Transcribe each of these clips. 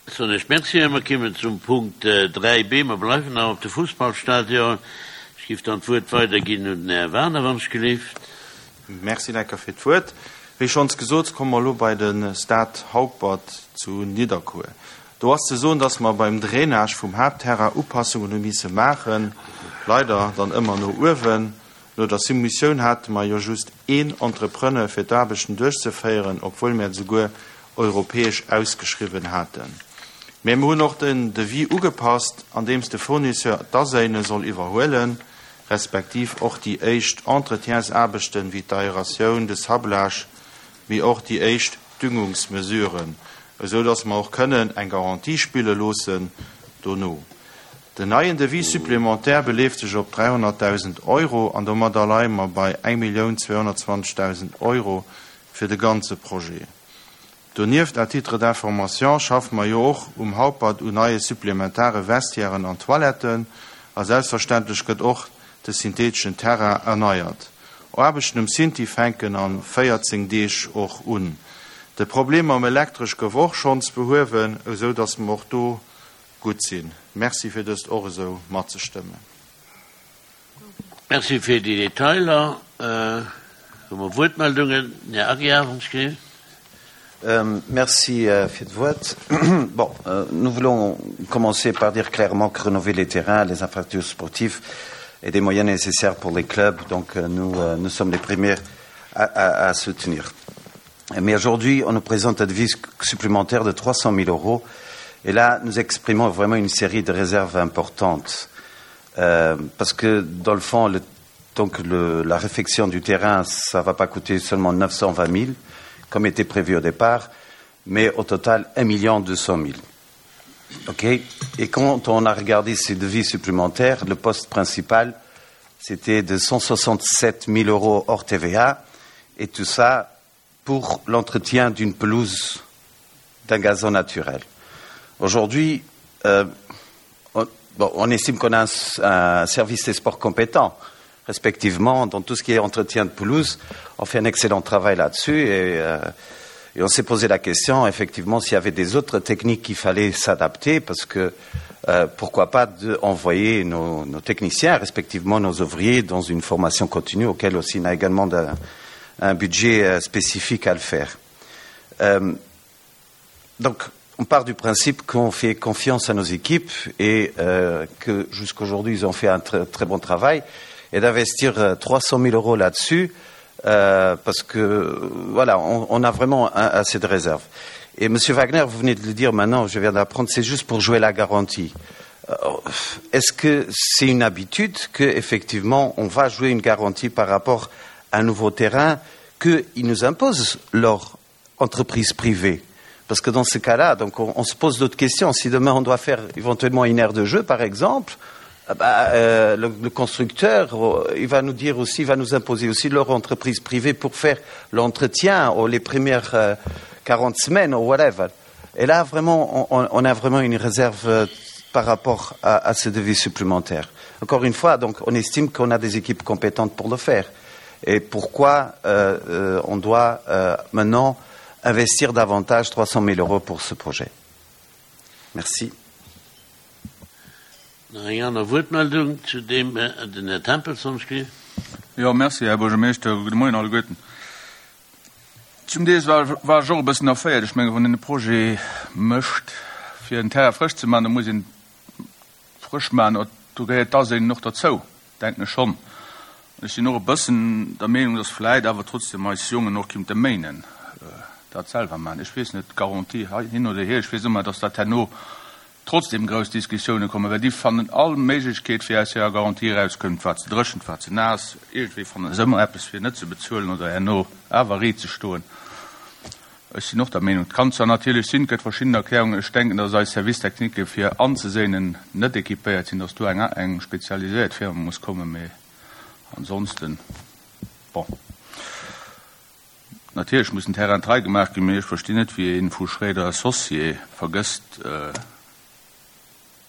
Soen ech Merci. A mer kimmen zum Punkt 3b. Mer bleiwen nach op de Fussballstadion. Ech giff dann d'Wuert weiderginn un den Här Waner, wann ech gelift. Merci Lecker fir d'Wuert. Wéi schonns gesot, komme mer elo bei de Stade Haupert zu Nidderkuer. Do ass ze soen, dass mer beim Drainage vum Haaptterrain Upassungen hu misse maachen, leider dann ëmmer no uewen. No der Soumissioun hate mer jo just een Entrepreneur fir d'Aarbechten duerchzeféieren, obwuel mär et souguer europäesch ausgeschriwwen haten. Mä mer hunn och den Devis ugepasst, andeems de Fournisseur d'Aséine soll iwwerhuelen, respektiv och déi éischt Entretiensaarbechten, wéi d'Aeratioun, de Sablage, mee och déi éischt Düngungsmesuren, esou dass mer och kënnen eng Garantie spille loossen dono. Den neien Devis supplémentaire beleeft sech op 300.000 Euro an domadder leie mer bei 1.220.000 Euro fir de ganze Projet. Donieft, à titre d'information, schaffe mer jo och um Haupert un neie supplementare Vestiairen an Toiletten a selbstverständlech gëtt och de syntheteschen Terrain erneiert. Aarbechten um Synthi fänken a 14 Deeg och un. De Problem mam Elektresch gouf och schonns behuewen, esou datt mer och do gutt sinn. Merci fir dëst och esou matzestëmmen. Merci fir déi Detailer. Hu mer Wuertmeldungen? Den Här Aguiar, wann ech gelift. Merci fir d'Wuert. Bon, nous voulons commencer par dire clairement que rénover les terrains, les infrastructures sportives et des moyens nécessaires pour les clubs, donc nous, nous sommes les premiers à, à, à soutenir. Mais aujourd'hui, on nous présente un devis supplémentaire de 300 000 euros. Et là, nous exprimons vraiment une série de réserves importantes. Euh, parce que, dans le fond, le, donc le, la réfection du terrain, ça ne va pas coûter seulement 920 000, comme était prévu au départ, mais au total 1 200 000. OK Et quand on a regardé ces devis supplémentaires, le poste principal, c'était de 167 000 euros hors TVA, et tout ça pour l'entretien d'une pelouse d'un gazon naturel. Aujourd'hui, euh, on, bon, on estime qu'on a un, un service des sports compétent, respectivement, dans tout ce qui est entretien de pelouse. On fait un excellent travail là-dessus et, euh, et on s'est posé la question, effectivement, s'il y avait des autres techniques qu'il fallait s'adapter, parce que euh, pourquoi pas de envoyer nos, nos techniciens, respectivement nos ouvriers, dans une formation continue auquel aussi on a également de, un budget euh, spécifique à le faire. Euh, donc, on part du principe qu'on fait confiance à nos équipes et euh, que jusqu'aujourd'hui, ils ont fait un très, très bon travail et d'investir 300 000 euros là-dessus, euh, parce que voilà, on, on a vraiment un, assez de réserves. Et Monsieur Wagner, vous venez de le dire maintenant, je viens d'apprendre, c'est juste pour jouer la garantie. Euh, est-ce que c'est une habitude qu'effectivement on va jouer une garantie par rapport à un nouveau terrain qu'ils nous imposent leur entreprise privée Parce que dans ce cas-là, donc on, on se pose d'autres questions. Si demain on doit faire éventuellement une aire de jeu, par exemple, eh ben, euh, le, le constructeur, euh, il va nous dire aussi, il va nous imposer aussi leur entreprise privée pour faire l'entretien ou les premières euh, 40 semaines ou whatever. Et là, vraiment, on, on a vraiment une réserve euh, par rapport à, à ce devis supplémentaire. Encore une fois, donc, on estime qu'on a des équipes compétentes pour le faire. Et pourquoi euh, euh, on doit euh, maintenant investir davantage 300 000 euros pour ce projet Merci. Nach eng aner Wuertmeldung zu deem, den Här Tempels soll ech ginn. Jo, merci, Här Buergermeeschter. Gudde Moien alleguerten. Zum Deels war war ech och e bëssen erféiert. Ech menge wann een e Projet mécht, fir en Terrain frësch ze maachen, da muss een frësch maachen, do gehéiert d'Aséinen och derzou, denken ech schonn. An ech sinn och e bëssen der Meenung, datt vläit awer trotzdem eis Jongen och kinnte méinen dat selwer maachen. Ech weess net, Garantie hin oder hier, ech weess ëmmer, datt dat herno trotzdem grouss Diskussioune kommen, well déi fannen all Méiglechkeet, fir aus hirer Garantie erauszekëmmen. Et war ze dréchen, et war ze naass, iergendwéi fanne se ëmmer eppes, fir net ze bezuelen oder herno awer riit ze stoen. Ech sinn och der Meenung, et kann zwar natierlech sinn, et gëtt verschidden Erklärungen, ech denken, datt eis Service technique fir anzeséinen net équipéiert sinn, datt do eng eng spezialiséiert Firma muss kommen, mee ansonsten, bon. Natierlech muss den Terrain trei gemaach ginn, mee ech verstinn net, wéi ee vu Schréider Associés vergësst,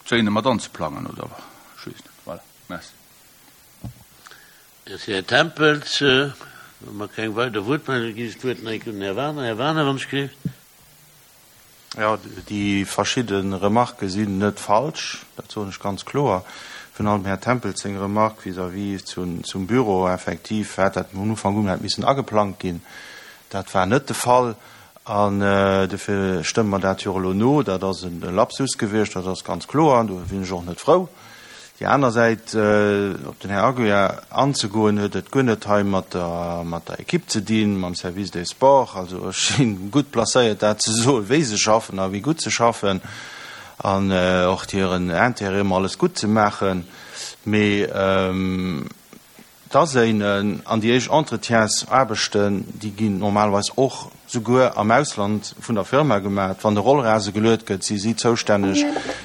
d'Séine mat anzeplangen, oder ech weess net. Voilà, merci. Merci, Här Tempels. Wa mer keng weider Wuertmeldung ginn ech d'Wuert nach eng Kéier un den Här Wagener. Här Wagener, wann ech gelift. Jo, déi verschidde Remarquë sinn net falsch, dat soen ech ganz kloer. Virun allem Här Tempels seng Remarque vis-à-vis zum Büro, effektiv hätt dat vun Ufank un hätt missen ageplangt ginn. Dat war net de Fall an dofir stëmme mer dat jo och elo no. Dat ass e Lapsus gewiescht, dat ass ganz kloer an do sinn ech och net frou. Déi aner Säit, op den Här Aguiar anzegoen, huet et guer net hei mat der, mat der Equipe ze dinn, mam Service des Sports. Also ech si gutt placéiert dat ze soen, wéi se schaffen a wéi gutt se schaffen an och hiren Intérêt ëmmer alles gutt ze maachen. Mee D'Aséinen an déi éischt Entretiensaarbechten, déi ginn normalerweis och souguer am Ausland vun der Firma gemaach. Wann de Rollrase geluet gëtt, si si zoustänneg,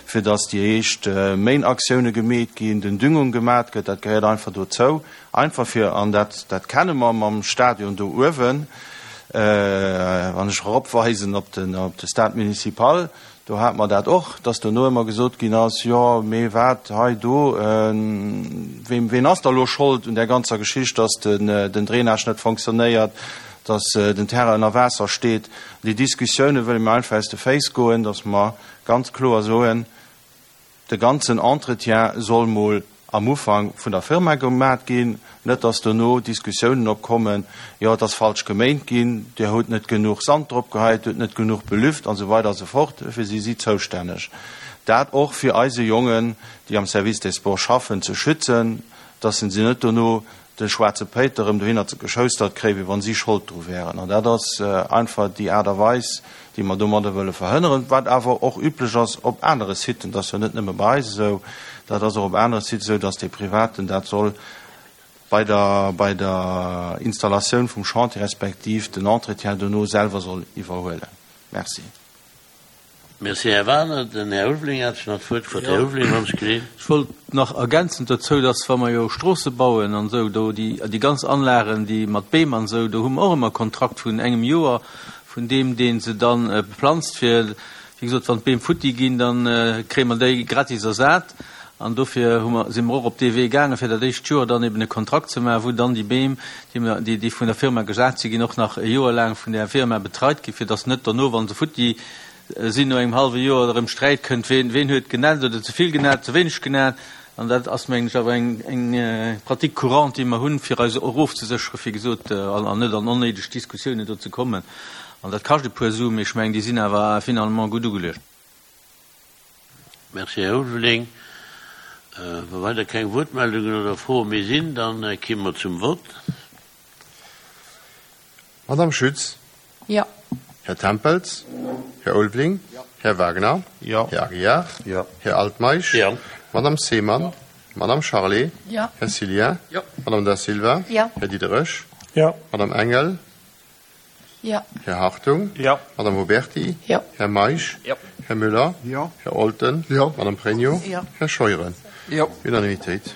fir datt déi éischt Méinaktioune gemeet ginn, den Düngung gemat gëtt. Dat gehéiert einfach dozou. Einfach fir, an dat, dat kenne mer mam Stadion do uewen, wann ech eropweisen op den, op de Stade municipal, Do hate mer dat och, dass dono ëmmer gesot ginn ass, jo, mee wat hei do, ween, ween ass da elo Schold un där ganzer Geschicht, dass den, den Drainage net fonctionnéiert, dass den Terrain ënner Waasser steet. Déi Diskussioune wëlle mir einfach aus de Féiss goen, dass mer ganz kloer soen, De ganzen Entretien soll mol am Ufank vun der Firma gemat ginn, net dass dono Diskussiounen opkommen, jo et ass falsch geméint ginn, Dir hutt net genuch Sand drop geheit, Dir hutt net genuch belüft an esou weider a sou fort. Dofir si si zoustänneg, dat och fir eise Jongen, déi am Service des Sports schaffen, ze schützen, dass se net dono de schwaarze Péiter erëm dohinner geschoustert kréien, wéi wann si Schold dru wären. An dat ass einfach déi Aart a Weis, déi mer domadder wëlle verhënneren, wat awer och üblech ass op anere Siten. Dat ass jo net nëmme bei eis esou, dat ass och op anere Sites esou, dass dee Privaten dat soll bei der, bei der Installatioun vum Chantier respektiv den Entretien dono selwer soll iwwerhuelen. Merci. Merci, Här Wagener. Den Här Ulveling hat sech nach d'Wuert gefrot. Här Ulveling, wann ech geleent. Ech wollt nach ergänzend dozou, dass, wa mer jo Stroosse bauen an esou, do déi, déi ganz Anlagen, déi mat Beem an esou, do hu mer och ëmmer e Kontrakt vun engem Joer vun deem, dee se dann beplanzt, fir, wéi gesot, wann d'Beem futti ginn, da kréie mer déi gratis ersat. An dofir hu mer, si mer och op dee Wee gaangen, fir dat éischt Joer dann eben e Kontrakt ze maachen, wou dann déi Beem, déi mer, déi, déi vun der Firma gesat si ginn, och nach e Joer laang vun där Firma betreit ginn, fir dass net dono, wa se futti sinn, no engem hallwe Joer erëm Sträit kënnt, ween, ween huet genätzt oder ze vill genätzt, ze wéineg genätzt. An dat ass, mengen ech, awer eng, eng Pratique courante, déi mer hunn, fir eis erofzesécheren, wéi gesot, an, an net an onnéideg Diskussiounen do ze kommen. An dat kascht e puer Suen, mee ech mengen, déi sinn awer finalement gutt ugeluecht. Merci, Här Ulveling. Wa weider keng Wuertmeldungen oder Froe méi sinn, da kimme mer zum Vott. Madame Schütz? Jo. Här Tempels? Här Ulveling? Här Wagner? Jo. Här Aguiar? Jo. Här Altmeisch? Jo. Madame Seemann? Madame Charlé? Jo. Här Cillien? Jo. Madame Da Silva? Jo. Här Diderich? Jo. Madame Engel? Jo. Här Hartung? Jo. Madame Huberty? Jo. Här Meisch? Jo. Här Müller? Jo. Här Olten? Jo. Madame Pregno? Jo. Här Scheuren? Jo. Unanimitéit.